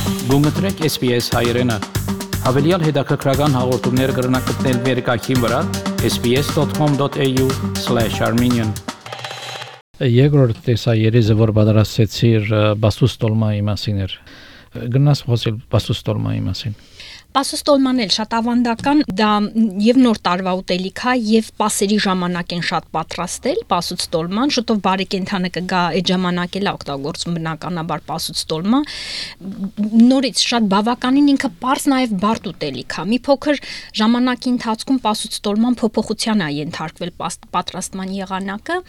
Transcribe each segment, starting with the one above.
Գումտրեք SPS հայրենը, հավելյալ հետաքրքրական հաղորդումներ կրնակցնել վերկայքին վրա sbs.com.au/armenian Երկրորդ տեսաերիզը որ պատրաստեցիր բասուստոլմայի մասին էր գնաս խոսել բասուստոլմայի մասին Պասուստոլման էլ շատ ավանդական դա եւ նոր տարվա ուտելիք է եւ պասերի ժամանակ են շատ պատրաստել պասուստոլման շուտով բարեկենդանը կգա այդ ժամանակ էլ օգտագործում բնականաբար պասուստոլմա նորից շատ բավականին ինքը པարզ նաեւ բարդ ուտելիք է մի փոքր ժամանակի ընթացքում պասուստոլման փոփոխության է ենթարկվել պատրաստման եղանակը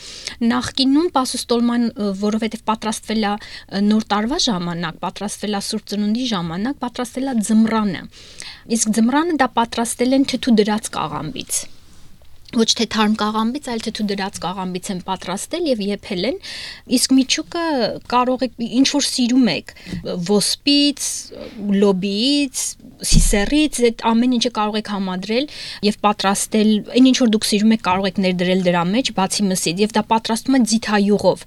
նախկինում պասուստոլման որովհետեւ պատրաստվել է նոր տարվա ժամանակ պատրաստվել է Սուրբ Ծնունդի ժամանակ պատրաստվել է ձմռանը Իսկ ձմռանը դա պատրաստել են թթու դրած կաղամբից ոչ թե թարմ կաղամբից, այլ թթու դրած կաղամբից են պատրաստել եւ եփել են իսկ միջուկը կարող եք ինչ որ սիրում եք ոսպից, լոբիից, սիսերից այդ ամեն ինչը կարող եք համադրել եւ պատրաստել այն ինչ որ դուք սիրում եք կարող եք ներդրել դրա մեջ բացի մսից եւ դա պատրաստում է ձիթայուղով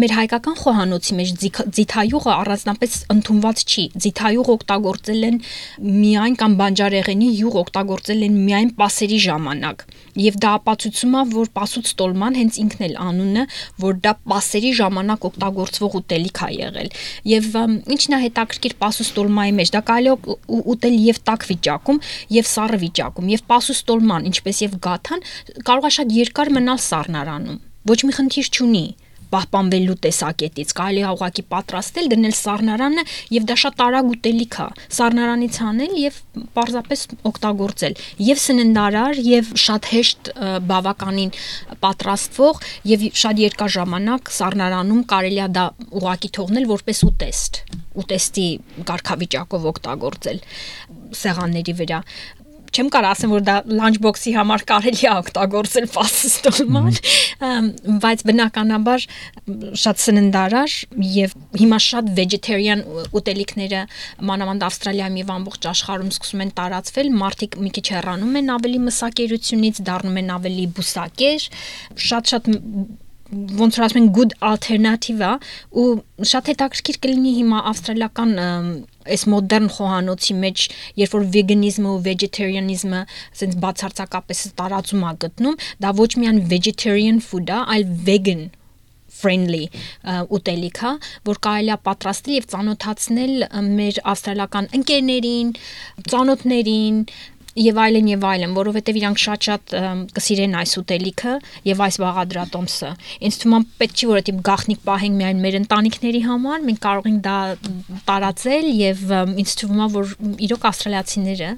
մեր հայկական խոհանոցի մեջ ձիթայուղը առանձնապես ընդունված չի ձիթայուղ օգտագործել են միայն կամ բանջարեղենի յուղ օգտագործել են միայն պասերի ժամանակ եւ դա ապացուցում է որ պասուստոլման հենց ինքն էլ անունը որ դա պասերի ժամանակ օգտագործվող ուտելիք է եղել եւ ինչն է հետաքրքիր պասուստոլմայի մեջ դա կարելի է ուտել եւ տաք վիճակում եւ սառը վիճակում եւ պասուստոլման ինչպես եւ գաթան կարող է շատ երկար մնալ սառնարանում ոչ մի խնդիր չունի պահպանվելու տեսակետից կարելի է ուղղակի պատրաստել դնել սառնարանը եւ դա շատ արագ ուտելիք է սառնարանից անել եւ պարզապես օգտագործել եւ սննդարար եւ շատ հեշտ բավականին պատրաստվող եւ շատ երկար ժամանակ սառնարանում կարելի է դա ուղղակի թողնել որպես ուտեստի կարգավիճակով օգտագործել սեղանների վրա Չեմ կարող ասեմ որ դա lunch box-ի համար կարելի է օգտագործել պասուստոլման, բայց բնականաբար շատ սննդարար եւ հիմա շատ vegetarian ուտելիքները մանավանդ Ավստրալիայում եւ ամբողջ աշխարհում սկսում են տարածվել, մարդիկ մի քիչ հեռանում են ավելի մսակերությունից, դառնում են ավելի բուսակեր, շատ ոնց որ ասում են good alternative ու շատ հետաքրքիր կլինի հիմա ավստրալիական այս մոդեռն խոհանոցի մեջ երբ որ վեգանիզմը ու վեգետարիանիզմը ասենց բացարձակապես տարածում է գտնում դա ոչ միայն vegetarian food է այլ vegan friendly ուտելիք է որ կարելի է պատրաստել եւ ծանոթացնել մեր ավստրալիական ընկերներին ծանոթներին Եվ այլն, որովհետև իրանք շատ կսիրեն այս ուտելիքը եւ այս բաղադրատոմսը։ Ինձ թվում է պետք չի որ այդ գաղտնիք պահենք միայն մեր ընտանիքների համար, մենք կարող ենք դա տարածել եւ ինձ թվում է որ իրոք ավստրալիացիները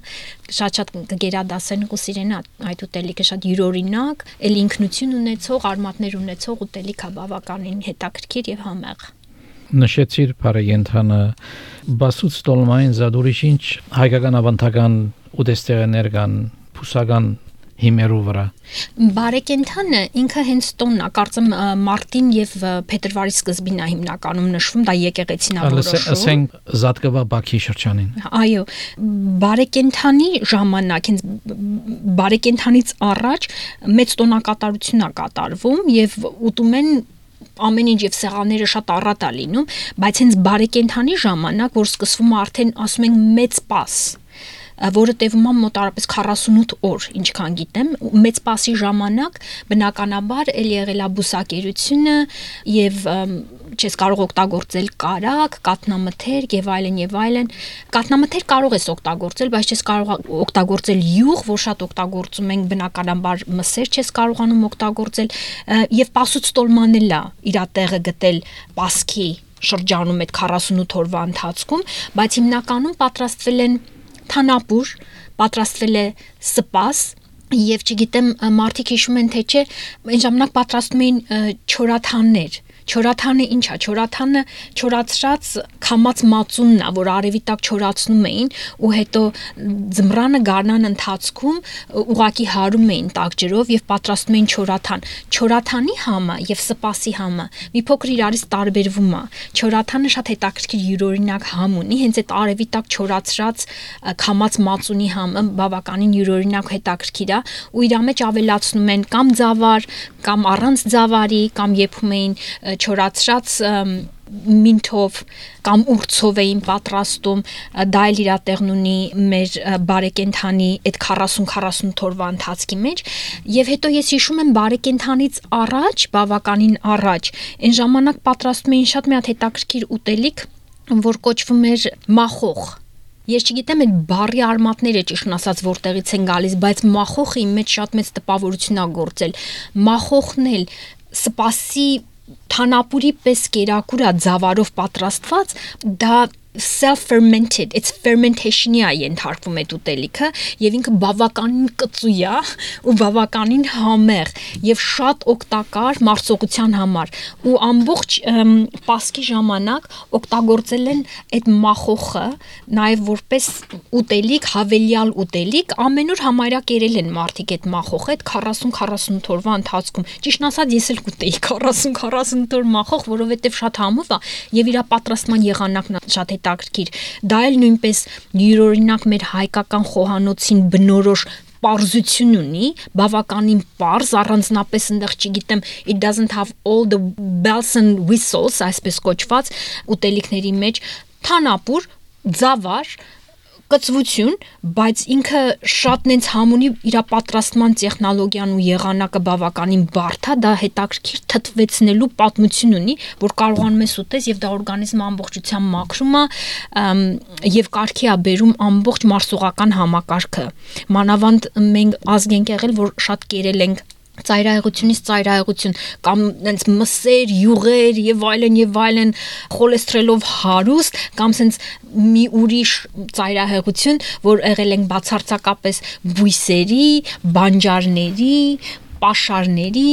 շատ կգերադասեն ու կսիրեն այդ ուտելիքը շատ յուրօրինակ, էլ ինքնություն ունեցող, արմատներ ունեցող ուտելիք է բավականին հետաքրքիր եւ համեղ։ Նշեցիր բարեկենդանը բասուստոլմային զադուրիշ ինչ հայկական ավանդական ուտեստերներ կան փուսական հիմերու վրա Բարեկենդանը ինքը հենց տոնն է կարծեմ մարտին եւ փետրվարի սկզբին է հիմնականում նշվում դա եկեղեցին է որոշում ասենք զատկվա Բաքի շրջանին Այո բարեկենդանի ժամանակ հենց բարեկենդանից առաջ մեծ տոնակատարություն է կատարվում եւ ուտում են ամեն ինչ եւ սեղանները շատ առատ է լինում բայց հենց բարեկենդանի ժամանակ որ սկսվում է արդեն ասում են մեծ պաս որը տևում է մոտարապես 48 օր, ինչքան գիտեմ, մեծ պասի ժամանակ բնականաբար էլ եղել է բուսակերությունը եւ չես կարող օգտագործել կարակ, կատնամթեր եւ այլն, կատնամթեր կարող ես օգտագործել, բայց չես կարող օգտագործել յուղ, որ շատ օգտագործում ենք բնականաբար մսեր չես կարողանում օգտագործել եւ պասուստոլման էլ է իր տեղը գտել պասքի շրջանում այդ 48 օրվա ընթացքում, բայց հիմնականում պատրաստվել են Թանապուր պատրաստվել է սպաս եւ չգիտեմ մարդիկ հիշում են թե չէ այն ժամանակ պատրաստում էին չորաթաններ Չորաթանը ինչ է, չորաթանը չորացրած քամած մածունն է, որ արևի տակ չորացնում էին ու հետո ձմռանը գարնան ընթացքում ուղակի հարում էին տաք ջրով եւ պատրաստում էին չորաթան։ Չորաթանի համը եւ սպասի համը մի փոքր իրարից տարբերվում է։ Չորաթանը շատ հետաքրքիր յուրօրինակ համ ունի, հենց այդ արևի տակ չորացրած քամած մածունի համը բավականին յուրօրինակ հետաքրքիր է ու իր մեջ ավելացնում են կամ ձավար, կամ առանց ձավարի, կամ եփում էին չորացրած մինթով կամ ուրցով էին պատրաստում, դա էլ իր տեղն ունի մեր բարեկենդանի այդ 40-40 օրվա ընթացքի մեջ, եւ հետո ես հիշում եմ բարեկենդանից առաջ, բավականին առաջ, այն ժամանակ պատրաստում էին շատ մի հատ հետաքրքիր ուտելիք, որ կոչվում էր մախոխ։ Ես չգիտեմ այդ բառի արմատները ճիշտն ասած որտեղից են գալիս, բայց մախոխը իմ մեջ շատ մեծ տպավորություն ա գործել։ Մախոխն էլ սպասի թանապուրի պես կերակուր ա ձավարով պատրաստված, դա self-fermented, it's fermentation-ի է ենթարկվում այդ ուտելիքը եւ ինքը բավականին կծու է ու բավականին համեղ եւ շատ օգտակար մարսողության համար ու ամբողջ Պասխի ժամանակ օգտագործել են այդ մախոխը նաեւ որպես ուտելիք, հավելյալ ուտելիք, ամեն օր համարյա կերել են մարդիկ այդ մախոխը այդ 40-40 օրվա ընթացքում։ Ճիշտն ասած ես էլ կուտեի 40-40 օր մախոխ, որովհետեւ շատ համով է եւ իր պատրաստման եղանակն շատ հետաքրքիր։ Դա էլ նույնպես յուրօրինակ մեր հայկական խոհանոցին բնորոշ պարզություն ունի, բավականին պարզ, առանձնապես այնտեղ չգիտեմ, it doesn't have all the bells and whistles, այսպես կոչված ուտելիքների մեջ, թանապուր, ձավար, կծվություն, բայց ինքը շատ նենց համունի իր պատրաստման տեխնոլոգիան ու եղանակը բավականին բարդ է, դա հետաքրքիր թթվեցնելու պատմություն ունի, որ կարողանում ես ուտես եւ դա օրգանիզմը ամբողջությամբ մաքրում է եւ կարգի է բերում ամբողջ մարսողական համակարգը։ Մանավանդ մենք ազգ ենք եղել, որ շատ կերել ենք ծայրահեղությունից ծայրահեղություն կամ այնց մսեր, յուղեր եւ այլն խոլեսթերոլով հարուստ կամ sense մի ուրիշ ծայրահեղություն, որ եղել ենք բացարձակապես բույսերի, բանջարների, պաշարների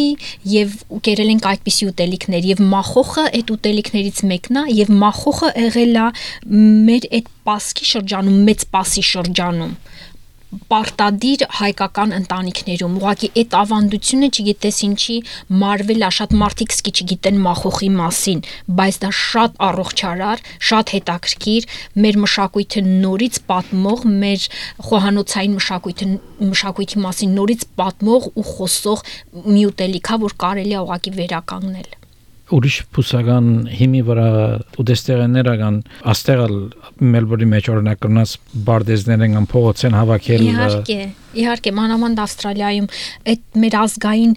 եւ կերել ենք այդպիսի ուտելիքներ եւ մախոխը այդ ուտելիքներից մեկն է եւ մախոխը եղել է մեր այդ Պասխի շրջանում, մեծ Պասի շրջանում պարտադիր հայկական ընտանիքներում ուղղակի այդ ավանդությունը չգիտես ինչի մարվել է, շատ մարդիկ սկի չգիտեն մախոխի մասին, բայց դա շատ առողջարար, շատ հետաքրքիր, մեր մշակույթը նորից պատմող, մեր խոհանոցային մշակույթի մասին նորից պատմող ու խոսող մի ուտելիք է, որ կարելի է ուղղակի վերականգնել։ Ուրիշ փուսական հիմի վրա ուտեստեղենները կան աստեղալ Մելբուրնի մեջ օրինակ կնաս բարդեզներն կան փողոցեն հավաքել Իհարկե, մանավանդ Ավստրալիայում այդ մեր ազգային,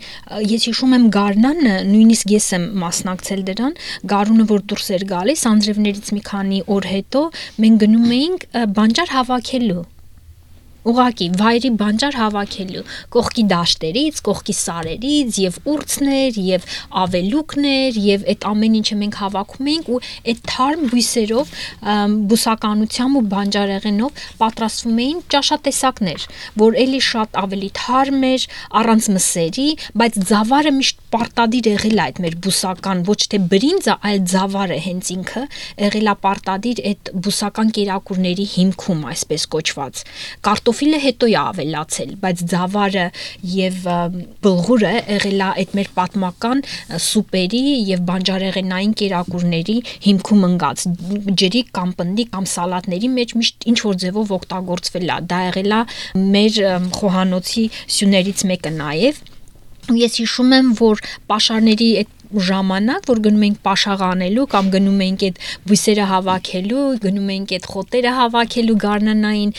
ես հիշում եմ գարնանը, նույնիսկ ես եմ մասնակցել դրան, գարունը որ դուրս էր գալիս, անձրևներից մի քանի օր հետո մենք գնում էինք բանջար հավաքելու ուղղակի վայրի բանջար հավաքելու կողքի դաշտերից, կողքի սարերից եւ ուրցներ եւ ավելուկներ եւ այդ ամեն ինչը մենք հավաքում էինք ու այդ թարմ բույսերով բուսականությամբ ու բանջարեղենով պատրաստվում էին ճաշատեսակներ, որ էլի շատ ավելի թարմ էր, առանց մսերի, բայց ձավարը միշտ պարտադիր եղել է այդ մեր բուսական, ոչ թե բրինձը, այլ ձավարը հենց ինքը եղել է պարտադիր այդ բուսական կերակուրների հիմքում, այսպես կոչված։ Կարտոֆիլը հետո է ավելացել, բայց ձավարը եւ բլղուրը եղել է այդ մեր պատմական սուպերի եւ բանջարեղենային կերակուրների հիմքում ընկած ջրի կամ պնդի կամ սալատների մեջ միշտ ինչ որ ձևով օգտագործվել է։ Դա եղել է մեր խոհանոցի սյուներից մեկը նաեւ։ Ես հիշում եմ, որ պաշարների այդ ժամանակ, որ գնում էինք պաշաղանելու կամ գնում էինք այդ բույսերը հավաքելու, գնում էինք այդ խոտերը հավաքելու գարնանային,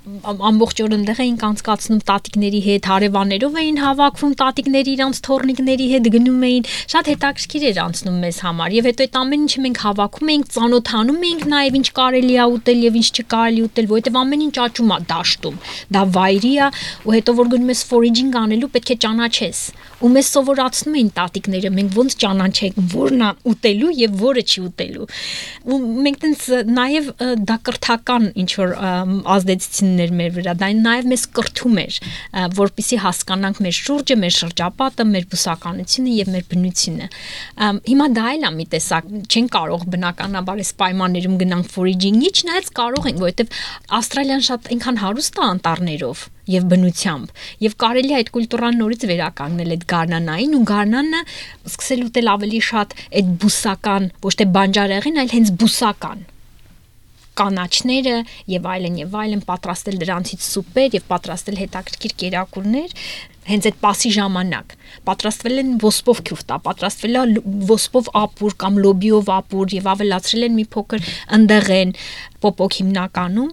ամբողջ օր այնտեղ էինք անցկացնում տատիկների հետ, հարևաններով էին հավաքվում, տատիկների իրանց թորնիկների հետ գնում էին, շատ հետաքրքիր էր անցնում մեզ համար։ Եվ հետո այդ ամեն ինչը մենք հավաքում էինք, ծանոթանում էինք նաև ինչ կարելի է ուտել եւ ինչ չկարելի ուտել, որովհետեւ ամեն ինչ աճում է դաշտում։ Դա վայրի է, ու հետո որ գնում ես ֆորիջինգ անելու, պետք է ճանաչես։ Ու մեզ սովորացնում էին տատիկները, մենք ոնց ճանաչենք որն է ուտելու եւ որը չի ուտելու։ Ու մենք տենց նաեւ դա կրթական ինչ որ ազդեցություններ մեր վրա, դա նաեւ մեզ կրթում էր, որպեսզի հասկանանք մեր շուրջը, մեր շրջապատը, մեր բուսականությունը եւ մեր բնությունը։ Հիմա դա էլ է մի տեսակ, չեն կարող բնականաբար այս պայմաններում գնանք ֆորիջինգի, չնայած կարող ենք, որովհետեւ Ավստրալիան շատ այնքան հարուստ է անտառներով եւ բնությամբ եւ կարելի է այդ կուլտուրան նորից վերականգնել այդ գարնանային ու գարնանը սկսել ուտել ավելի շատ այդ բուսական, ոչ թե բանջարեղեն, այլ հենց բուսական կանաչները եւ այլն պատրաստել դրանցից սուպեր եւ պատրաստել հետաքրքիր կերակուրներ, հենց այդ պասի ժամանակ պատրաստվել են ոսպով քյուֆտա, պատրաստվել է ոսպով ապուր կամ լոբիով ապուր եւ ավելացրել են մի փոքր ընդեղեն պոպոկ հիմնականում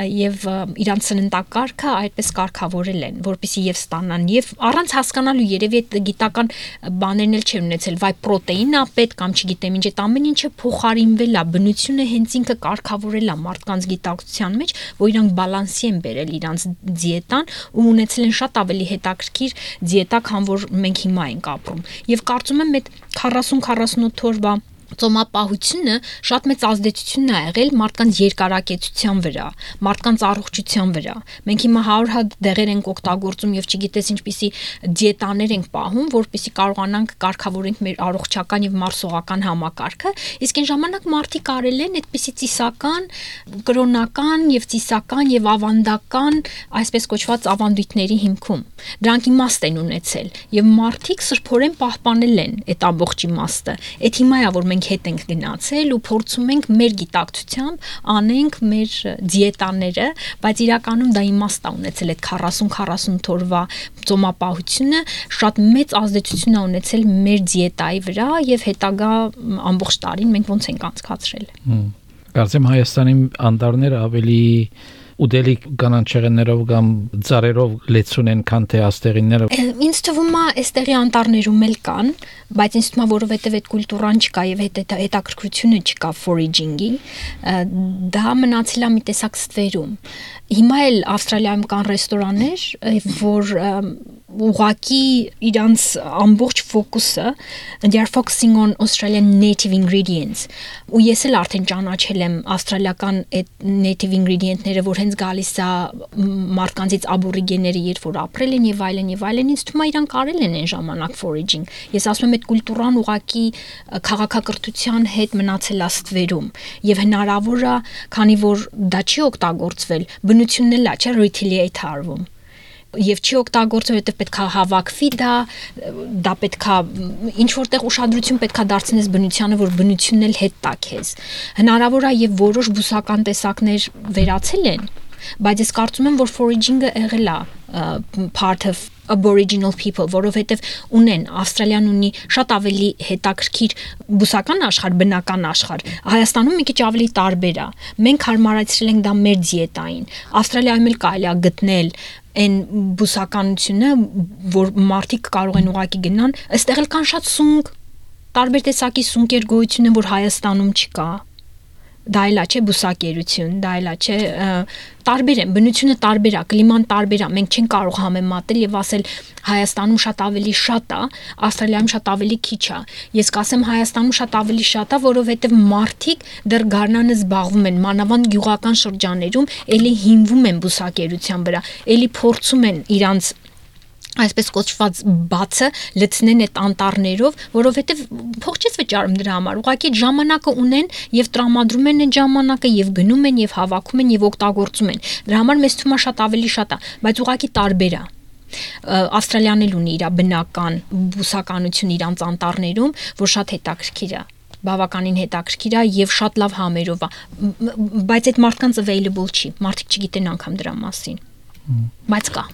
եւ իրանց սննդակարգը այդպես կարգավորել են, որպեսզի եւ ստանան եւ առանց հասկանալու երևի այդ գիտական բաներն էլ չեն ունեցել, վայ պրոտեինա պետք կամ չգիտեմ ինչ, այդ ամեն ինչը փոխարինվել է, բնությունը հենց ինքը կարգավորել է մարդկանց գիտակցության մեջ, որ իրանք բալանսի են բերել իրանց դիետան ու ունեցել են շատ ավելի հետաքրքիր դիետա, քան որ մենք հիմա ենք ապրում։ Եվ կարծում եմ այդ 40-48 օրվա ծոմապահությունը շատ մեծ ազդեցություն է եղել մարդկանց երկարակեցության վրա, մարդկանց առողջության վրա։ Մենք հիմա 100 հատ դեղեր ենք օգտագործում եւ չգիտես ինչպիսի դիետաներ ենք պահում, որպեսզի կարողանանք կարգավորենք մեր առողջական եւ մարսողական համակարգը, իսկ այն ժամանակ մարդիկ արել են այդպիսի ծիսական, կրոնական եւ ծիսական եւ ավանդական, այսպես կոչված ավանդույթների հիմքում։ Դրանք իմաստ են ունեցել եւ մարդիկ սրբորեն պահպանել են այդ ամբողջ իմաստը։ Այդ հիմա է որ մենք հետ ենք գնացել ու փորձում ենք մեր գիտակցությամբ անենք մեր դիետաները, բայց իրականում դա իմաստ է ունեցել այդ 40-48 օրվա ծոմապահությունը շատ մեծ ազդեցություն է ունեցել մեր դիետայի վրա եւ հետագա ամբողջ տարին մենք ոնց ենք անցկացրել։ Կարծեմ Հայաստանի անտառները ավելի ուդելիք կանանչեղեններով կամ ծառերով լեցուն են, քան թե աստեղինները։ Ինձ թվում է, այստեղի անտառներում էլ կան, բայց ինձ թվում է, որովհետև այդ կուլտուրան չկա եւ հետաքրքրությունը չկա foraging-ի, դա մնացել է մի տեսակ ստվերում։ Հիմա էլ Ավստրալիայում կան ռեստորաններ, որ ուղղակի իրանց ամբողջ ֆոկուսը they are focusing on Australian native ingredients ու ես էլ արդեն ճանաչել եմ ավստրալիական այդ native ingredient-ները, որ հենց գալիս է մարդկանցից աբորիգենները, երբ որ ապրել են եւ այլն, ինձ թվում է իրանք արել են այն ժամանակ foraging։ Ես ասում եմ այդ կուլտուրան ուղղակի քաղաքակրթության հետ մնացել է ստվերում եւ հնարավոր է, քանի որ դա չի օգտագործվել, բնությունն էլ է, չէ, retaliate արվում։ Եվ չի օգտագործվում, որովհետև պետք է հավաքվի դա պետք է ինչ որտեղ ուշադրություն պետք է դարձնես բնությանը, որ բնությունն էլ հետ տա քեզ։ Հնարավոր է եւ որոշ բուսական տեսակներ վերացել են, բայց ես կարծում եմ, որ foraging-ը եղել է part of aboriginal people, որովհետև ունեն Ավստրալիան ունի շատ ավելի հետաքրքիր բուսական աշխարհ, բնական աշխարհ։ Հայաստանում մի քիչ ավելի տարբեր է։ Մենք հարմարացրել ենք դա մեր դիետային։ Ավստրալիայում էլ կարելի է գտնել այն բուսականությունը, որ մարդիկ կարող են ուղակի գնան, այստեղ էլ կան շատ սունկ, տարբեր տեսակի սունկեր գոյություն են, որ Հայաստանում չկա։ Դա էլ չէ բուսակերություն, դա էլ չէ տարբեր են, բնությունը տարբեր է, կլիման տարբեր է, մենք չենք կարող համեմատել եւ ասել Հայաստանում շատ ավելի շատ է, Ավստրալիայում շատ ավելի քիչ է։ Ես կասեմ Հայաստանում շատ ավելի շատ է, որովհետեւ մարդիկ դեռ գարնանը զբաղվում են, մանավանդ գյուղական շրջաններում, ելի հիմնվում են բուսակերության վրա, ելի փորձում են իրանց այսպես կոչված բացը լցնեն այդ անտառներով, որովհետև փող չես վճարում դրա համար, ուղղակի ժամանակը ունեն եւ տրամադրում են այդ ժամանակը եւ գնում են եւ հավաքում են եւ օգտագործում են։ Դրա համար մեզ թվում է շատ ավելի շատ է, բայց ուղղակի տարբեր է։ Ավստրալիան էլ ունի իր բնական բուսականություն իրանց անտառներում, որ շատ հետաքրքիր է, բավականին հետաքրքիր է եւ շատ լավ համերով է, բայց այդ մարդկանց available չի, մարդիկ չգիտեն անգամ դրա մասին, բայց կա։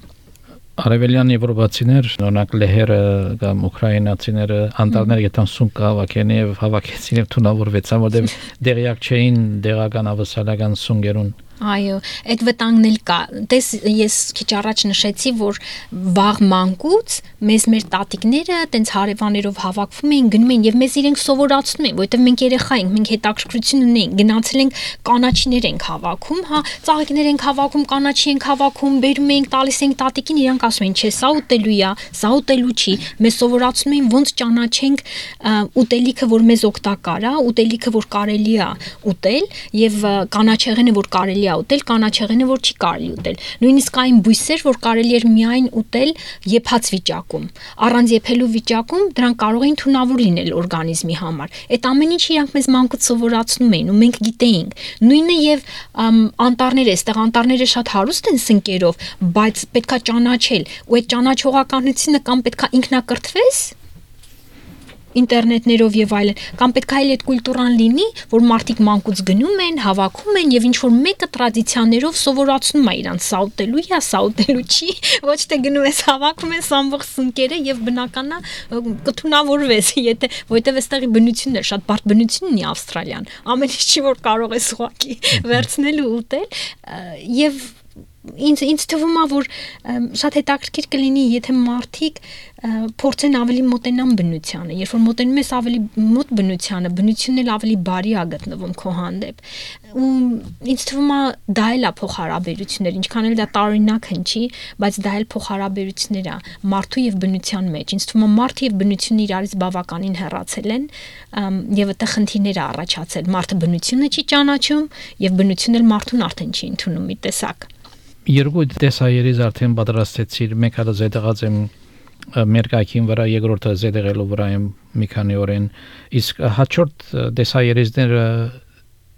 Արևելյան եվրոպացիներ, օրինակ լեհերը կամ ուկրաինացիները անտառներ գտան սունկ հավաքեն եւ հավաքեցին եւ թունավորվեցան, որտեղ դեղյակ չէին դեղական ավսալական սունգերուն։ Այո, այդ վտանգն էլ կա։ Տես ես քիչ առաջ նշեցի, որ վաղ մանկուց մեր տատիկները տենց հարևաններով հավաքվում էին, գնում էին եւ մեզ իրենք սովորացնում էին, որովհետեւ մենք երեխա ենք, մենք հետաքրքրություն ունենք, գնացել ենք կանաչիներ ենք հավաքում, հա, ծաղիկներ ենք հավաքում, կանաչի ենք հավաքում, բերում ենք, տալիս ենք տատիկին, իրանք ասում են, չէ, սա ուտելու է, սա ուտելու չի։ Մեզ սովորացնում էին ոնց ճանաչենք ուտելիքը, որ մեզ օգտակար է, ուտելիքը, որ կարելի է ուտել եւ կանաչեղենը, որ կարելի ուտել, կանաչեղենը, որ չի կարելի ուտել։ Նույնիսկ այն բույսեր, որ կարելի էր միայն ուտել եփած վիճակում։ Առանց եփելու վիճակում դրանք կարող էին թունավոր լինել օրգանիզմի համար։ Այդ ամեն ինչը իրանք մեզ մանկուց սովորացնում էին ու մենք գիտեինք։ Նույնը եւ անտառները, այստեղ անտառները շատ հարուստ են սնկերով, բայց պետքա ճանաչել ու այդ ճանաչողականությունը կամ պետքա ինքնակրթվես ինտերնետներով եւ այլն, կամ պետք է այդ կուլտուրան լինի, որ մարդիկ մանկուց գնում են, հավաքում են եւ ինչ որ մեկը տրադիցիաներով սովորացնում է իրանց սա ուտելու չի, ոչ թե գնում ես հավաքում ես ամբողջ սնկերը եւ բնականա կթունավորվես, եթե որտեվ այստեղի բնությունն է, շատ բարդ բնություն ունի Ավստրալիան, ամեն ինչ չի որ կարող ես ուղղակի վերցնել ու ուտել եւ ինձ թվում է որ շատ հետաքրքիր կլինի եթե մարդիկ փորձեն ավելի մոտենան բնությանը երբ որ մոտենում ես ավելի մոտ բնությանը բնությունն էլ ավելի բարի է գտնվում քո հանդեպ ու ինձ թվում է դա էլ է փոխհարաբերություններ ինչքան էլ դա տարօրինակ հնչի բայց դա էլ փոխհարաբերություններ է մարդու եւ բնության մեջ ինձ թվում է մարդը եւ բնությունը իրարից բավականին հեռացել են եւ այդտեղ խնդիրներ է առաջացել մարդը բնությունը չի ճանաչում եւ բնությունն էլ մարդուն արդեն չի ընդունում մի տեսակ Երկու տեսայերից արդեն պատրաստեցիր, մեկ հատ զետեղած եմ մեր կայքին վրա, երկրորդը զետեղելու վրա եմ մի քանի օրեն, իսկ հաջորդ տեսայերիցները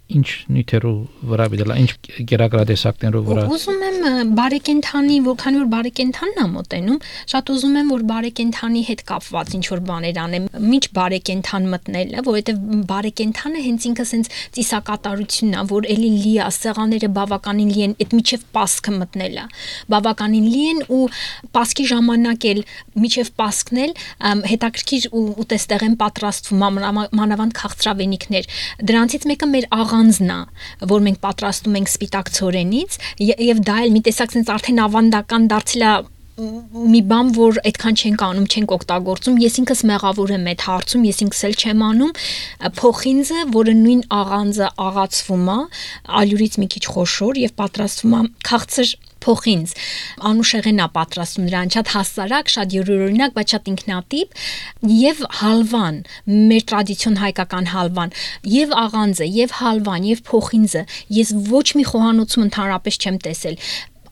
ինչ նյութերով վրա բիդելա, ինչ գերակրատեսակներով վրա։ Ուզում եմ բարեկենդանի, որքան որ բարեկենդանն է մոտենում, շատ ուզում եմ որ բարեկենդանի հետ կապված ինչ որ բաներ անեմ, միջ բարեկենդան մտնելը, որովհետև բարեկենդանը հենց ինքը սենց ծիսակատարությունն է, որ էլի լի է, սեղանները բավականին լի են, այդ միջև պասքը մտնելը, բավականին լի են ու պասքի ժամանակ էլ միջև պասքն էլ հետաքրքիր ուտեստեղ են պատրաստվում մանավանդ քաղցրավենիքներ։ Դրանցից մեկը մեր աղանձն է, որ մենք պատրաստում ենք սպիտակ ցորենից եւ դա էլ մի տեսակ sense արդեն ավանդական դարձել է մի բան որ այդքան չենք անում, չենք օգտագործում, ես ինքս մեղավոր եմ այդ հարցում, ես ինքս էլ չեմ անում, փոխինձը, որը նույն աղանձը աղացվում է, ալյուրից մի քիչ խոշոր եւ պատրաստվում է քաղցր փոխինձ անուշեղեն է պատրաստում նրան շատ հասարակ, շատ յուրօրինակ, բայց շատ ինքնատիպ եւ հալվան, մեր տրադիցիոն հայկական հալվան, եւ աղանձը, եւ հալվան, եւ փոխինձը, ես ոչ մի խոհանոցում ընդհանրապես չեմ տեսել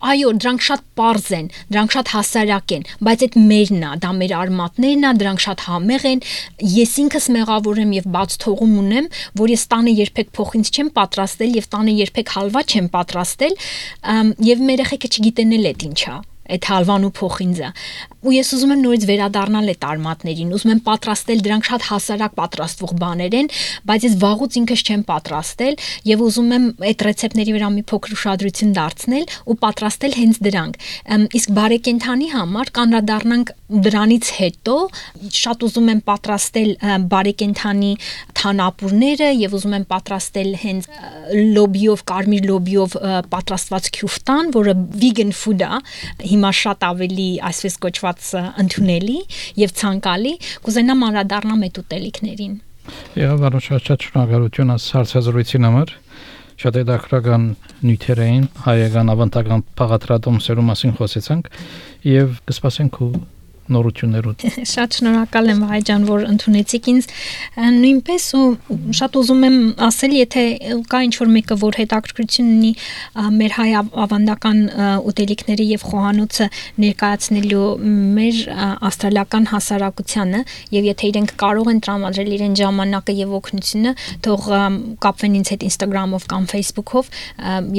Այո, դրանք շատ պարզ են, դրանք շատ հասարակ են, բայց այդ մերն է, դա մեր արմատներն է, դրանք շատ համեղ են։ Ես ինքս մեղավոր եմ եւ բաց թողում ունեմ, որ ես տանը երբեք փոխինձ չեմ պատրաստել եւ տանը երբեք հալվա չեմ պատրաստել, եւ մեր երեխեքը չգիտեն էլ այդ ինչա։ Այդ հալվան ու փոխինձը ու ես ուզում եմ նորից վերադառնալ այդ արմատներին ուզում եմ պատրաստել դրանք շատ հասարակ պատրաստվող բաներ են բայց ես վաղուց ինքս չեմ պատրաստել եւ ուզում եմ այդ ռեցեպտների վրա մի փոքր ուշադրություն դարձնել ու պատրաստել հենց դրանք իսկ բարեկենդանի համար կանրադառնանք դրանից հետո շատ ուզում եմ պատրաստել բարեկենդանի թանապուրները եւ ուզում եմ պատրաստել հենց լոբիով կարմիր լոբիով պատրաստված քյուֆտան որը vegan food է հիմա շատ ավելի այսպես կոչված ընդունելի եւ ցանկալի կուզենամ անդրադառնամ այդ ուտելիքներին։ Եվ շատ շնորհակալություն հարցազրույցին համար։ Շատ հետաքրքրական նյութեր էին հայկական ավանդական փաղադրատոմսերու մասին խոսեցանք եւ կսպասենք ու նորություններով։ Շատ շնորհակալ եմ Վահե ջան, որ ընդունեցիք ինձ նույնպես ու շատ ուզում եմ ասել, եթե կա ինչ-որ մեկը, որ հետաքրքրություն ունի մեր հայ ավանդական ուտելիքների եւ խոհանոցը ներկայացնելու մեր ավստրալիական հասարակությանը եւ եթե իրենք կարող են տրամադրել իրեն ժամանակը եւ օգնությունը, թող կապվեն ինձ հետ Instagram-ով կամ Facebook-ով,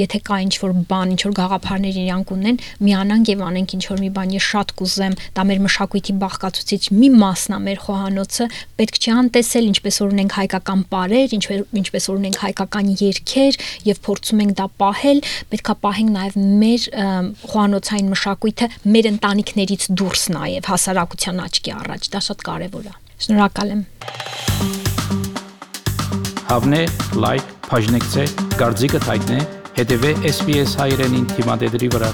եթե կա ինչ-որ բան, ինչ-որ գաղափարներ իրանք ունեն, միանանք եւ անենք ինչ-որ մի բան, ես շատ կուզեմ, դա մեր մշակույթի բաղկացուցիչ մի մասն է մեր խոհանոցը, պետք չի անտեսել, ինչպես որ ունենք հայկական պարեր, ինչպես որ ունենք հայկական երգեր եւ փորձում ենք դա պահել, պետքա պահենք նաեւ մեր խոհանոցային մշակույթը մեր ընտանիքներից դուրս նաեւ հասարակության աչքի առաջ, դա շատ կարեւոր է։ Շնորհակալ եմ։ Հավնե, լայք, բաժնեկցե, դարձիկը թայտնե, հետեւե SPS հայրենին թիմադեդի վրա։